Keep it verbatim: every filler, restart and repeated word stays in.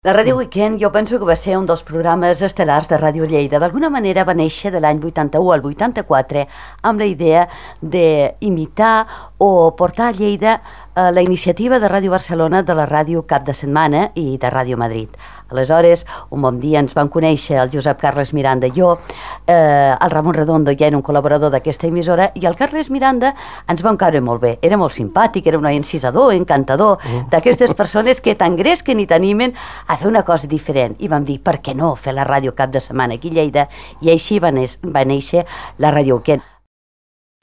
La Ràdio Weekend jo penso que va ser un dels programes estel·lars de Ràdio Lleida. D'alguna manera va néixer de l'any vuitanta-u al vuitanta-quatre amb la idea d'imitar o portar a Lleida eh, la iniciativa de Ràdio Barcelona de la ràdio Cap de Setmana i de Ràdio Madrid. Aleshores, un bon dia ens van conèixer el Josep Carles Miranda i jo, eh, el Ramon Redondo ja era un col·laborador d'aquesta emissora, i el Carles Miranda ens vam caure molt bé. Era molt simpàtic, era un noi encisador, encantador, mm. d'aquestes persones que t'engresquen i t'animen a fer una cosa diferent. I vam dir, per què no fer la ràdio Cap de Setmana aquí a Lleida? I així va, va néixer la Ràdio Weekend.